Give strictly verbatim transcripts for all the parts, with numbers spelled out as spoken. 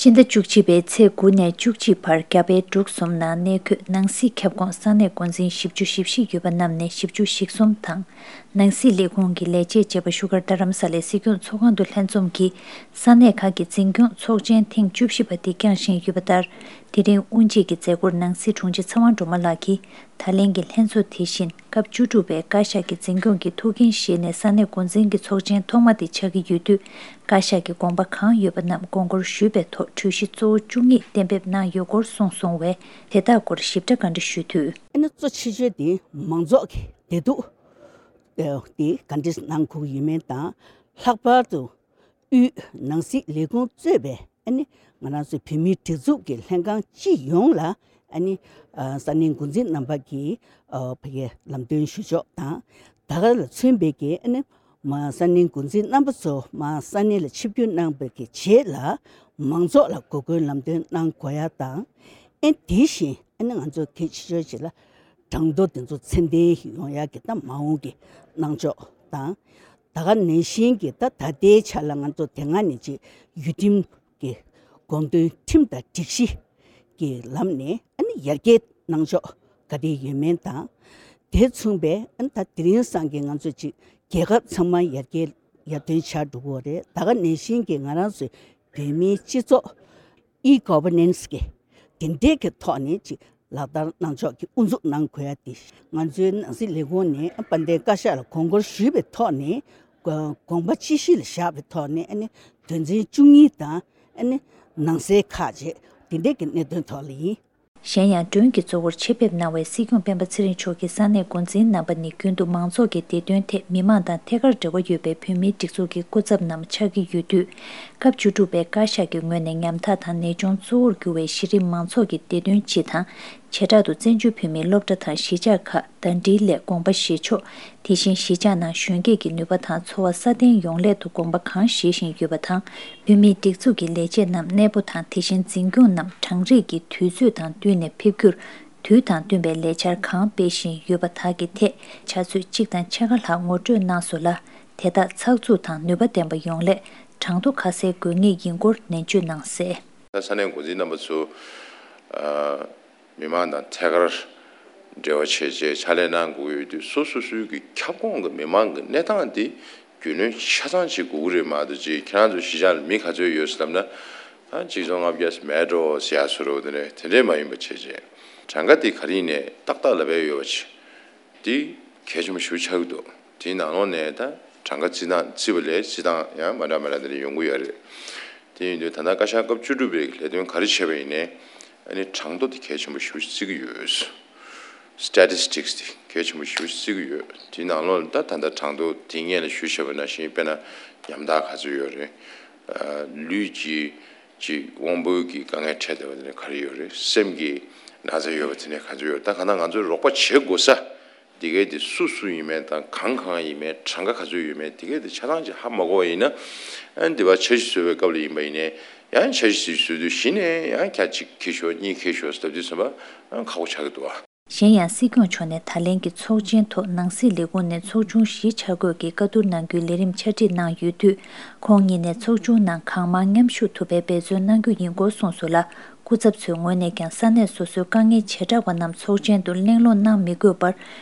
སྤྱི་ཟླ་བཅུ་གཅིག་པའི་ཚེས་དགུ་ནས་བཅུ་གཅིག་བར་རྒྱ་བལ་འབྲུག་གསུམ་ནང་གནས་འཁོད་ནང་སྲིད་ཁྱབ་ཁོངས་ས་གནས་འགོ་འཛིན་བཞི་བཅུ་ཞེ་བཞི་ཡོད་པ་རྣམས་ནས་བཞི་བཅུ་ཞེ་གསུམ་དང་། ནང་སྲིད་ལས་ཁུངས་ཀྱི་ལས་བྱེད་བཅས་པ་བཞུགས་སྒར་རྡ་རམ་ས་ལའི་སྲིད་སྐྱོང་ཚོགས་ཁང་དུ་ལྷན་འཛོམས་ཀྱིས་ས་གནས་ཁག་གི་འཛིན་སྐྱོང་ཚོགས་ཆེན་ཐེངས་བཅུ་བཞི་པ་འདི་བསྐྱངས་བཞིན་ཡོད་པ་ལྟར། དེ་རིང་དབུ་འབྱེད་ཀྱི་མཛད་སྒོར་ནང་སྲིད་དྲུང་ཆེ་ཚེ་དབང་སྒྲོལ་མ་ལགས་ཀྱིས། ད་ལན་གྱི་ལྷན་ཚོགས་དེ་བཞིན་སྐབས་བཅུ་དྲུག་པའི་བཀའ་ཤག་གི་འཛིན་སྐྱོང་གི་ཐུགས་འགན་བཞེས་ནས་ས་གནས་འགོ་འཛིན་གྱི་ཚོགས་ཆེན་ཐོག་མ་དེ་ཆགས་ཀྱི་ཡོད་དུས། བཀའ་ཤག་གི་དགོངས་པ་གང་ཡོད་པ་རྣམས་དགོངས་སྐོར་ཞུས་པའི་ཐོག་གྲོས་གཞི་གཙོ་བོ་བཅུ་གཉིས་གཏན་འབེབས་གནང་ཡོད་སྐོར་གསུངས་སོང་བས། དེ་དག་སྐོར་ཞིབ་ཕྲ་བཀའ་འདྲི་ཞུས་དུས། ཨ་ནི་གཙོ་ཆེ་ཤོས་དེ་མང་ཚོགས་ཀྱི་བདེ་སྡུག་དེ་ག་འདྲ་གནང་དགོས་ཀྱི་ཡོད་མེད་དང་། ལྷག་པར་དུ། དབུས་ནང་སྲིད་ལས་ཁུངས་གཙོས་པའི་ཨ་ནི་ང་རང་ཚོའི་བོད་མིའི་སྒྲིག་འཛུགས་ཀྱི་ལྷན་ཁང་སྤྱི་ཡོངས་ལ་ཨ་ནི་ཨ་ས་གནས་འགོ་འཛིན་རྣམ་པ་གིས་ཨ་ཕ་གིའི་ལམ་སྟོན་ཞུ་ཕྱོགས་དང་། ད་ག་ལ་མཚོན་པའི་གི་ཨ་ནི་མ་ས་གནས་འགོ་འཛིན་རྣམ་པ་ཚོ་མ་ས་གནས་ལ་ཆིབས་བསྒྱུར་གནང་བའི་གི་རྗེས་ལ་མང་ཚོགས་ལ་འགོ་སྐོན་ལམ་སྟོན་གནང་དགོས་ཡ་དང་། ཨེ་དེ་བཞིན་ཨ་ནི་ང་ཚོ་གལ་ཆེ་ཤོས་ཅིག་ལ་གྲངས་ཐོ་དེ་ཚོ་ཚད་ལྡན་ཡོང་ཡ་གི་ད་མ་འོངས་ཀྱི་གནང་ཕྱོགས་དང་། ད་ག་ནང་བཞིན་གྱི་ད་ད་ལྟའི་ཆ་ལ་ང་ཚོ་དེ་སྔ་ནས་ཅིག་ཡུལ་ཁྲིམས་ཀྱི་དགོངས་དོན་ཁྲིམས་དང་སྒྲིག་གཞི་གི་ལམ་ནས་ཨ་ནི་ཡར་རྒྱས་གནང་ཕྱོགས་ག་རེ་ཡོད་མེད་དང་། དེ་མཚུངས་པའི་ཨ་ནི་ད་དེ་རིང་སང་གི་ང་ཚོ་ཅིག་རྒྱལ་ཁབ་ཚང་མ་ཡར་རྒྱས་ཡར་ཐོན་ཆགས་འགྲོ་གི་ཡོད་རེད། ད་ག་ནང་བཞིན་གྱི་ང་རང་ཚོའི་བོད་མིའི་སྤྱི་ཚོགས་e-governance་གི་དེ་འདྲའི་གི་ཐོག་ནས་ཅིག་ལག་བསྟར་གནང་ཕྱོགས་ཀྱི་དབུ་འཛུགས་གནང་དགོས་ཡ་དེ། ང་ཚོའི་ནང་སྲིད་ལས་ཁུངས་ནས་དཔལ་ལྡན་བཀའ་ཤག་ལ་དགོངས་སྐོར་ཞུས་པའི་ཐོག་ནས་དགོངས་པ་ཅི་བཞིན་ལ་བཞག་པའི་ཐོག་ནས་ཨ་ནི་དོན་ཚན་བཅུ་གཉིས་དང་ཨ་ནི་ནང་གསེས་ཁག་ཅིག་དེ་འདྲའི་གི་གནད་དོན་ཐོག་ལ་ཡིན། གཞན་ཡང་མགྲོན་གྱི་གཙོ་བོར་ཆེད་ཕེབས་གནང་བའི་སྲིད་སྐྱོང་སྤེན་པ་ཚེ་རིང་མཆོག་གིས་ས་གནས་འགོ་འཛིན་རྣམ་པ་ནི་རྒྱུན་དུ་མང་ཚོགས་ཀྱི་བདེ་དོན་ཐད་མི་མང་དང་ཐད་ཀར་འབྲེལ་བ་ཡོད་པའི་བོད་མིའི་སྒྲིག་འཛུགས་ཀྱི་སྐུ་ཚབ་རྣམས་ཆགས་ཀྱི་ཡོད་དུས། སྐབས་བཅུ་དྲུག་པའི་བཀའ་ཤག་གི་ངོས་ནས་ཉམ་ཐག་དང་ནད་གཅོང་གཙོ་བོར་གྱུར་བའི་གཞི་རིམ་མང་ཚོགས་ཀྱི་བདེ་དོན་སྤྱི་དང་། བྱེ་བྲག་ཏུ་བཙན་བྱོལ་བོད་མིའི་སློབ་གྲྭ་དང་གཞིས་ཆགས་ཁག་ཟླ་སྒྲིལ་སླད་དགོངས་པ་བཞེས་ཕྱོགས། དེ་བཞིན་གཞིས་ཆགས་ནང་གཞོན་སྐྱེས་ཀྱི་ནུས་པ་དང་འཚོ་བ་སྲ་བརྟན་ཡོང་སླད་དུ་དགོངས་པ་གང་བཞེས་བཞིན་ཡོད་པ་དང་། བོད་མིའི་སྒྲིག་འཛུགས་ཀྱི་ལས་བྱེད་རྣམས་གནས་སྤོ་དང་དེ་བཞིན་འཛིན་སྐྱོང་རྣམས་གྲངས་རིག་གི་དུས་ཚོད་དང་བསྟུན་ནས་ཕེབས་རྒྱུར། དུས་དང་བསྟུན་པའི་ལས་འཆར་གང་སྤེལ་བཞིན་ཡོད་པ་དག་གི་ཐད་ཆུ་ཚོད་གཅིག་དང་ཕྱེད་ཀ་ལྷག་ངོ་སྤྲོད་གནང་སོང་ལ། དེ་དག་ཚགས་ཚུད་དང་ནུས་པ་ལྡན་པ་ཡོང་སླད་གྲངས་ཐོ་ཁ་གསལ་དགོས་ངེས་ཡིན་སྐོར་ནན་བརྗོད་གནང་གསལ། ད་ས་གནས་འགོ་འཛིན་རྣམ་པ་ཚོ། ཨ། མི་མང་དང་ཐད་ཀར་འབྲེལ་བ་བྱས་རྗེས་ཕྱག་ལས་གནང་དགོས་ཀྱི་ཡོད་དུས། སོ་སོ་སོའི་གི་ཁྱབ་ཁོངས་ཀྱི་མི་མང་གི་གནས་སྟངས་དེ་རྒྱུས་ལོན་ཆ་ཚང་བྱེད་དགོས་ཀྱི་རེད། མ་གཏོགས་ཅིག་ཁྱེད་རང་ཚོ་གཞིས་ཆགས་ལ་མི་ག་ཚོད་ཡོད་ཟེར་ལབ་ན། ཨ། གཅིག་སྟོང་ལྔ་བརྒྱ་མེད་འགྲོ་ཟེར་ཡ་བཟོ་འདྲ་དེ་འདྲ་དེ་འདྲས་མ་ཡིན་པ་བྱས་རྗེས་གྲངས་ཀ་དེ་ག་རེ་ཡིན་ནའི་ཏག་ཏག་ལབ་ཡ་ཡོད་པ་བྱས། འདི་གལ་ཆེན་པོ་ཞེ་པོ་ཆགས་ཀྱི་འདུག་དེའི་ནང་ལོགས་ནས་ད་གྲངས་ཀ་རྩིས་སྟངས་རྩིས་པ་ལས་རྩིས་སྟངས་ཡང་མ་འདྲ་མ་འདྲ་དེ་འདྲ་ཡོང་གི་ཡོད་རེད། དེ་ཡིན་དུས་ད་ལྟ་བཀའ་ཤག་སྐབས་བཅུ་དྲུག་པའི་ལས་དོན་ག་རེ་བྱས་པ་ཡིན་ནའི། ཨ་ནི་གྲངས་ཐོ་དེ་གལ་ཆེན་པོ་ཞེ་པོ་བརྩི་གི་ཡོད། སི་ཊེ་ཊི་སི་ཊིག་སི་དེ་གལ་ཆེན་པོ་ཞེ་པོ་བརྩི་གི་ཡོད། དེའི་ནང་ལོགས་ལ་ད་ད་ལྟ་གྲངས་ཐོ་དེ་སྔོན་ལ་ཞུས་བྱས་པ་ནང་བཞིན། དཔེར་ན་ཉམ་ཐག་ག་ཚོད་ཡོད་རེད། ཨ། ལུས་ཀྱི་ཅིག་དབང་པོའི་གི་དཀའ་ངལ་འཕྲད་བསྡད་པ་དེ་འདྲ་ག་རེ་ཡོད་རེད། སེམས་ཀྱི་ན་ཚ་ཡོད་པ་དེ་འདྲ་ག་ཚོད་ཡོད་རེད། ད་གང་ལྟར་ང་ཚོས་རོགས་པ་བྱེད་དགོས་ས་དེ་གའི་དེ་སུ་སུ་ཡིན་མིན་དང་གང་གང་ཡིན་མིན། གྲངས་ཀ་ག་ཚོད་ཡོད་མེད་དེ་གའི་དེ་ཆ་ཚང་ཅིག་ཧ་མ་གོ་བ་ཡིན་ན། ཨ་ནི་དེ་བར་འཆར་གཞི་བཟོ་བའི་སྐབས་ལ་ཡིན་པ་ཡིན་ནའི་ཡང་འཆར་གཞི་ཅིག་བཟོ་དུས་གཞི་ནས་ཡང་བརྒྱ་གཅིག་འཁྱེར་ཤོག་གཉིས་འཁྱེར་ཤོག་ཟེར་དུས་ཙམ་པ་ཁག་པོ་ཆགས་ཀྱི་འདུག་ཨ། གཞན་ཡང་སྲིད་སྐྱོང་མཆོག་ནས་ད་ལན་གྱི་ཚོགས་ཆེན་ཐོག་ནང་སྲིད་ལས་ཁུངས་ནས་ཚོགས་ཆུང་བཞི་ཆ་བགོས་ཀྱི་བཀའ་བསྡུར་གནང་རྒྱུའི་ལས་རིམ་ཕྱག་བྲིས་གནང་ཡོད་དུས། ཁོང་ཉིད་ནས་ཚོགས་ཆུང་ནང་གང་མང་མཉམ་ཞུགས་ཐུབ་པའི་འབད་བརྩོན་གནང་རྒྱུ་ཡིན་སྐོར་གསུངས་སོང་ལ། སྐུ་ཚབ་ཚོའི་ངོས་ནས་ཀྱང་ས་གནས་སོ་སོའི་དཀའ་ངལ་བྱེ་བྲག་པ་རྣམས་ཚོགས་ཆེན་དུ་གླེང་སློང་གནང་མི་དགོས་པར།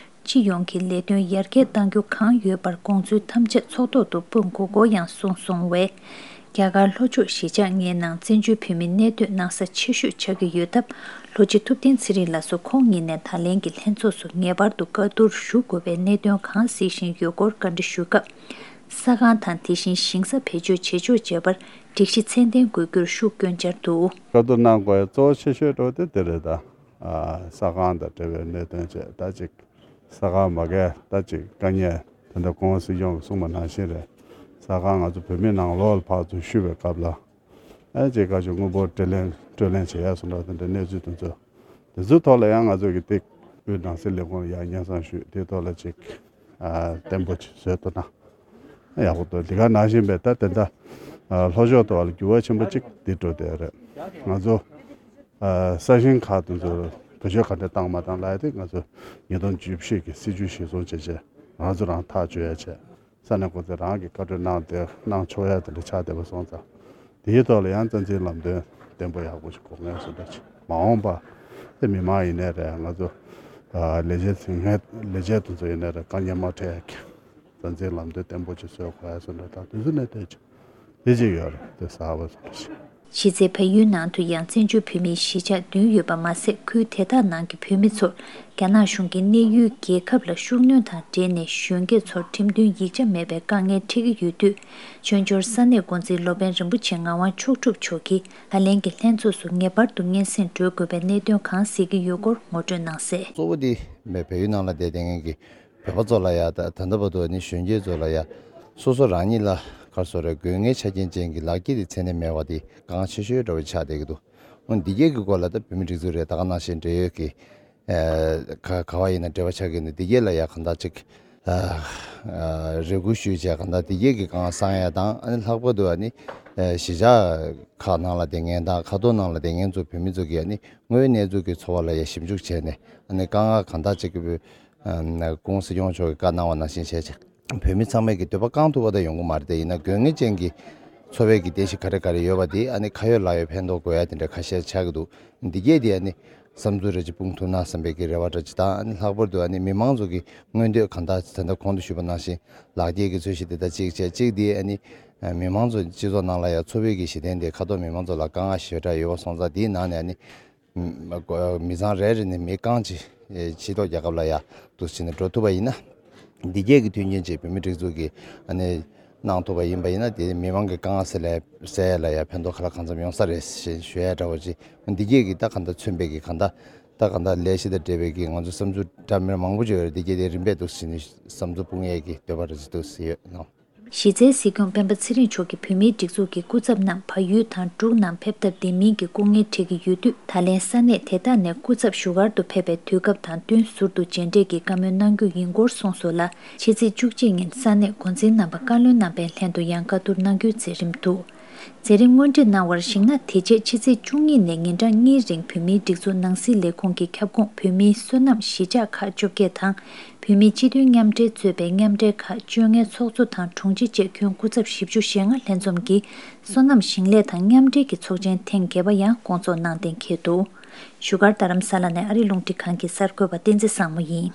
སྤྱི་ཡོངས་ཀྱི་ལས་དོན་ཡར་རྒྱས་གཏང་རྒྱུ་གང་ཡོད་པར་དགོངས་ཚུལ་ཐམས་ཅད་ཚོགས་ཐོག་ཏུ་སྤུངས་དགོས་སྐོར་ཡང་གསུངས་སོང་བས། རྒྱ་གར་ལྷོ་ཕྱོགས་གཞིས་ཆགས་ལྔའི་ནང་བཙན་བྱོལ་བོད་མི་གནས་སྡོད་གནང་ས་ཆེ་ཤོས་ཆགས་ཀྱི་ཡོད་སྟབས། ལྷོ་སྤྱི་ཐུབ་བསྟན་ཚེ་རིང་ལགས་སུ་ཁོང་ཉིད་ནས་ད་ལན་གྱི་ལྷན་ཚོགས་སུ་ངེས་པར་དུ་བཀའ་བསྡུར་ཞུ་དགོས་པའི་གནད་དོན་གང་གཟིགས་བཞིན་ཡོད་སྐོར་བཀའ་འདྲི་ཞུས་སྐབས། ས་ཁང་དང་དེ་བཞིན་ཞིང་ས་བེད་སྤྱོད་བྱེད་ཕྱོགས་བཅས་པར་སྒྲིག་གཞི་ཚད་ལྡན་དགོས་རྒྱུར་ཤུགས་བསྐྱོན་འཆར་འདུག། བཀའ་བསྡུར་གནང་དགོས་ཡ་གཙོ་བོ་ཆེ་ཤོས་འགྲོ་དེ་དེ་རེད་ད། ས་ཁང་དང་འབྲེལ་བའི་གནད་དོན་བཅས་ད་ཅིག་ས་ཁང་མ་གས་ད་ཅིག་དཀའ་ངལ་དེ་འདྲ་སྐུ་ངོ་སྲིད་སྐྱོང་གིས་གསུངས་པ་ནང་བཞིན་རེད། ས་ཁང་ང་ཚོ་བོད་མི་ནང་ལོགས་ལ་ཕར་ཚུར་བཤུ་བའི་སྐབས་ལ། ཨ་ཅེ་བཀའ་ཆོས་དངོས་པོ་སྤྲོད་ལེན་སྤྲོད་ལེན་བྱེད་ཡ་སོང་འདྲ་དེ་འདྲའི་གནས་ཚུལ་དེ་ཚོ། དེ་ཚོའི་ཐོག་ལ་ཡང་ང་ཚོ་གི་ཏིག་དབུས་ནང་སྲིད་ལས་ཁུངས་ལ་ཡང་སྙན་སེང་ཞུས། དེའི་ཐོག་ལ་ཅིག་ཨ་བརྟན་པོ་ཅིག་བཟོས་ཐུབ་ན་ཡག་པོ་འདུག། འདི་ག་ནང་བཞིན་པའི་ད་དེ་འདྲ་ཨ་ལྷོ་ཕྱོགས་ཐོག་ལ་འགྱུར་བ་ཆེན་པོ་ཅིག་འདི་འགྲོ་བསྡད་རེད། ང་ཚོ་ཨ་ས་ཞིང་ཁག་དེ་ཚོ་བེད་སྤྱོད་ག་འདྲ་བཏང་མ་བཏང་ལབ་ཡ་དེ་ང་ཚོ་ཉིས་སྟོང་བཅུ་བཞི་གི་སྲིད་ཇུས་གཞིར་བཟུང་བྱས་བྱས་ང་ཚོ་རང་ཐག་གཅོད་ཡ་བྱས། ས་གནས་འགོ་འཛིན་རང་གིས་བཀའ་འཁྲོལ་གནང་སྟེ་གནང་ཆོག་ཡ་དེ་འདྲ་ཆགས་བསྡད་པ་སོང་ཙང་། དེའི་ཐོག་ལ་ཡང་རྩ་འཛིན་ལམ་སྟོན་ བརྟན་པོ་ཡག་པོ་ཞིག་དགོས་ངེས་སུ་འདྲ་ཅིག་མ་འོངས་པ་དེ་མི་མང་ཡིན་ནའི་རེད། ང་ཚོ་ལས་བྱེད་ཚོ་ཡིན་ནའི་ལས་བྱེད་དེ་ཚོ་ཡིན་ནའི་རེད། དཀའ་ངལ་མ་འཕྲད་ཡག་གི་མཛའ་འཛིན་ལམ་སྟོན་བརྟན་པོ་ཅིག་བཟོ་དགོས་ཡག་སུ་འདྲ་དང་དེ་ཚོ་ནས་བལྟས་ཅིག་དེ་ཅིག་ཡོད་རེད། དེ་གསར་པ་སུ་འདྲ་ཅིག་གཞི་རྩའི་ཕ་ཡུལ་ནང་དུ་ཡང་བཙན་བྱོལ་བོད་མིའི་གཞིས་ཆགས་བདུན་ཡོད་པ་མ་ཟད། ཁུལ་དེ་དག་ནང་གི་བོད་མི་ཚོར་རྒྱ་ནག་གཞུང་གིས་གནས་ཡུལ་རྒྱལ་ཁབ་ལ་ཤུགས་སྣོན་དང་འབྲེལ་ནས་གཞོན་སྐྱེས་ཚོར་ཁྲིམས་མཐུན་ཡིག་ཆ་མེད་པའི་དཀའ་ངལ་འཕྲད་ཀྱི་ཡོད་དུས། བཙན་བྱོལ་ས་གནས་འགོ་འཛིན་སློབ་དཔོན་རིན་པོ་ཆེ་ངག་དབང་མཆོག་གྲུབ་མཆོག་གིས་ད་ལན་གྱི་ལྷན་ཚོགས་སུ་ངེས་པར་དུ་སྙན་སེང་སྒྲོལ་དགོས་པའི་གནད་དོན་གང་གསལ་གྱི་ཡོད་སྐོར་ངོ་སྤྲོད་གནང་གསལ། གཙོ་བོ་དེ་བལ་ཡུལ་ནང་ལ་བསྡད་བསྡད་མཁན་གྱི་བོད་པ་ཚོ་ལ་ཡ། ད་ད་ལྟ་བར་དུ་ནི་གཞོན་སྐྱེས་ཚོ་ལ་ཡ། སོ་སོ་རང་ཉིད་ལ་ག་རེ་ཟེར་དགོས་རེད། དགོས་ངེས་ཆ་རྐྱེན་ཅན་གྱི་ལག་འཁྱེར་དེ་མཚན་ནས་མེད་པ་དེ་དཀའ་ངལ་ཆེ་ཤོས་འདྲ་བོ་ཆགས་བསྡད་ཀྱི་འདུག་འོན་འདི་གས་ཀྱི་སྐོར་ལ་ད་བོད་མི་སྒྲིག་འཛུགས་རེད། ད་ག་ནང་བཞིན་འབྲེལ་ཡོད་ཀྱི་ཨ་ག་ག་བ་ཡིན་ན་འབྲེལ་བ་ཆགས་ཀྱི་འདུག་འདི་གས་ལ་ཡ་གང་ལྟར་ཅིག་ཨ་ཨ་རེ་སྐུལ་ཞུས་བྱས་གང་ལྟར་འདི་གས་ཀྱི་དཀའ་ངལ་སེལ་ཡ་དང་། ཨ་ནི་ལྷག་པར་དུ་ཨ་ནི་ཨ་གཞིས་ཆགས་ཁག་ནང་ལ་བསྡད་མཁན་དང་། ཁ་ཐོར་ནང་ལ་བསྡད་མཁན་ཚོ་བོད་མི་ཚོ་གིས་ཨ་ནི་དངོས་ཡོད་གནས་ཚུལ་གྱི་འཚོ་བ་ལ་ཡ་ཞིབ་འཇུག་བྱས་ནས། ཨ་ནི་དཀའ་ངལ་གང་ལྟར་ཅིག་གི་ཨ་སྐུ་ངོ་སྲིད་སྐྱོང་མཆོག་གིས་བཀའ་གནང་བ་ནང་བཞིན་བྱས་བྱས། བོད་མི་ཚང་མས་ཀྱི་འདོད་པ་བསྐང་ཐུབ་པ་དང་ཡོང་གི་མ་རེད་དེ། ཡིན་ན་དགོས་ངེས་ཅན་གྱི་འཚོ་བའི་གི་རྟེན་གཞི་ག་རེ་ག་རེ་ཡོད་པ་དེ་ཨ་ནི་ཁ་ཡོད་ལག་ཡོད་ཕན་ཐོགས་དགོས་ཡ་དེ་འདྲ་ཁ་ཤས་ཆགས་ཀྱི་འདུག་འདི་གས་དེ་ཨ་ནི་བསམ་ཚུལ་རེ་ཅིག་སྤུངས་ཐུབ་ན་བསམ་པའི་གི་རེ་བ་འདྲ་ཅིག་དང་། ཨ་ནི་ལྷག་པར་དུ་ཨ་ནི་མི་མང་ཚོ་གི་མངོན་འདོད་གང་ལྟར་ད་ལྟ་གོང་དུ་ཞུས་པ་ནང་བཞིན་ལག་འཁྱེར་གྱི་ཚོས་གཞི་དེ་དང་གཅིག་བྱས། གཅིག་དེ་ཨ་ནི་མི་མང་ཚོ་སྤྱི་ཚོགས་ནང་ལ་ཡང་འཚོ་བའི་གི་གཞི་རྟེན་དེ་ཁ་ཐོར་མི་མང་ཚོ་ལ་དཀའ་ངལ་ཞེ་དྲག་ཡོད་པ་སོང་ཙང་། དེའི་ནང་ནས་ཨ་ནི། མི་ཚང་རེ་རེ་ནས་མི་རྐང་གཅིག་ཕྱི་ལོགས་རྒྱལ་ཁབ་ལ་ཡ་འདུག་སེ་བྱས་ནས་འགྲོ་ཐུབ་པ་ཡིན་ན། འདི་གས་ཀྱི་མཐུན་རྐྱེན་ཅིག་བོད་མིའི་སྒྲིག་འཛུགས་ཀྱིས་ཨ་ནི་གནང་ཐུབ་པ་ཡིན་པ་ཡིན་ན། དེ་མི་མང་གི་དཀའ་ངལ་སེལ་ལ་སེལ་ཡ་ལ་ཡ་ཕན་ཐོགས་ག་ལ་གང་འཚམ་ཡོང་ས་རེད་ཞེས་ཞུ་ཡ་འདྲ་བོ་ཅིག་འདི་གས་ཀྱི་ད་གང་ལྟར་མཚོན་པའི་གི་གང་ལྟར་ད་གང་ལྟར་ལས་གཞི་དང་འབྲེལ་བའི་གི་ང་ཚོ་བསམ་ཚུལ་འདྲ་མིན་མང་པོ་ཅིག་ཡོད་རེད། འདི་གས་དེ་རིམ་པས་འདུག་སེ་བྱས་ནས་བསམ་ཚུལ་སྤུངས་ཡས་ཀྱི་འདོད་པ་རེ་ཅིག་འདུག་སེ་ཡོད་ནོ། གཞི་རྩའི་སྲིད་སྐྱོང་སྤེན་པ་ཚེ་རིང་མཆོག་གིས་བོད་མིའི་སྒྲིག་འཛུགས་ཀྱི་སྐུ་ཚབ་རྣམས་བལ་ཡུལ་དང་འབྲུག་ནང་ཕེབས་ཐབས་བདེ་མིན་གྱི་སྐུ་ངལ་འཕྲད་ཀྱི་ཡོད་དུས། ད་ལན་ས་གནས་དེ་དག་ནས་སྐུ་ཚབ་བཞུགས་སྒར་དུ་ཕེབས་པའི་དུས་སྐབས་དང་བསྟུན་ཟུར་དུ་མཇལ་འཕྲད་ཀྱི་བཀའ་མོལ་གནང་རྒྱུ་ཡིན་སྐོར་གསུངས་སོང་ལ། ཕྱི་ཚེས་བཅུ་གཅིག་ཉིན་ས་གནས་འགོ་འཛིན་རྣམ་པ་བཀའ་བློན་རྣམ་པའི་ལྷན་དུ་ཡང་བཀའ་བསྡུར་གནང་རྒྱུའི་མཛད་རིམ་འདུག་མཛད་རིམ་སྔོན་སྒྲིག་གནང་བར་གཞིགས་ན། དེ་རྗེས་ཕྱི་ཚེས་བཅུ་གཉིས་ནས་ཉིན་གྲངས་གཉིས་རིང་བོད་མིའི་སྒྲིག་འཛུགས་ནང་སྲིད་ལས་ཁུངས་ཀྱི་ཁྱབ་ཁོངས་བོད་མིའི་སོ་ནམ་གཞིས་ཆགས་ཁག་བཅོ་བརྒྱད་དང་། བོད་མིའི་སྤྱི་མཐུན་མཉམ་འབྲེལ་གཙོས་པའི་མཉམ་འབྲེལ་ཁག་བཅོ་ལྔའི་ཚོགས་གཙོ་དང་དྲུང་ཆེ་བཅས་ཁྱོན་སྐུ་ཚབ་བཞི་བཅུ་ཞེ་ལྔ་ལྷན་འཛོམས་ཀྱིས་སོ་ནམ་ཞིང་ལས་དང་མཉམ་འབྲེལ་གྱི་ཚོགས་ཆེན་ཐེངས་བརྒྱད་པ་ཡང་སྐོང་ཚོགས་གནང་གཏན་འཁེལ་འདུག་བཞུགས་སྒར་རྡ་རམ་ས་ལ་ནས་ཨ་རི་རླུང་འཕྲིན་ཁང་གི་གསར་འགོད་པ་བསྟན་འཛིན་བཟང་མོ་ཡིན།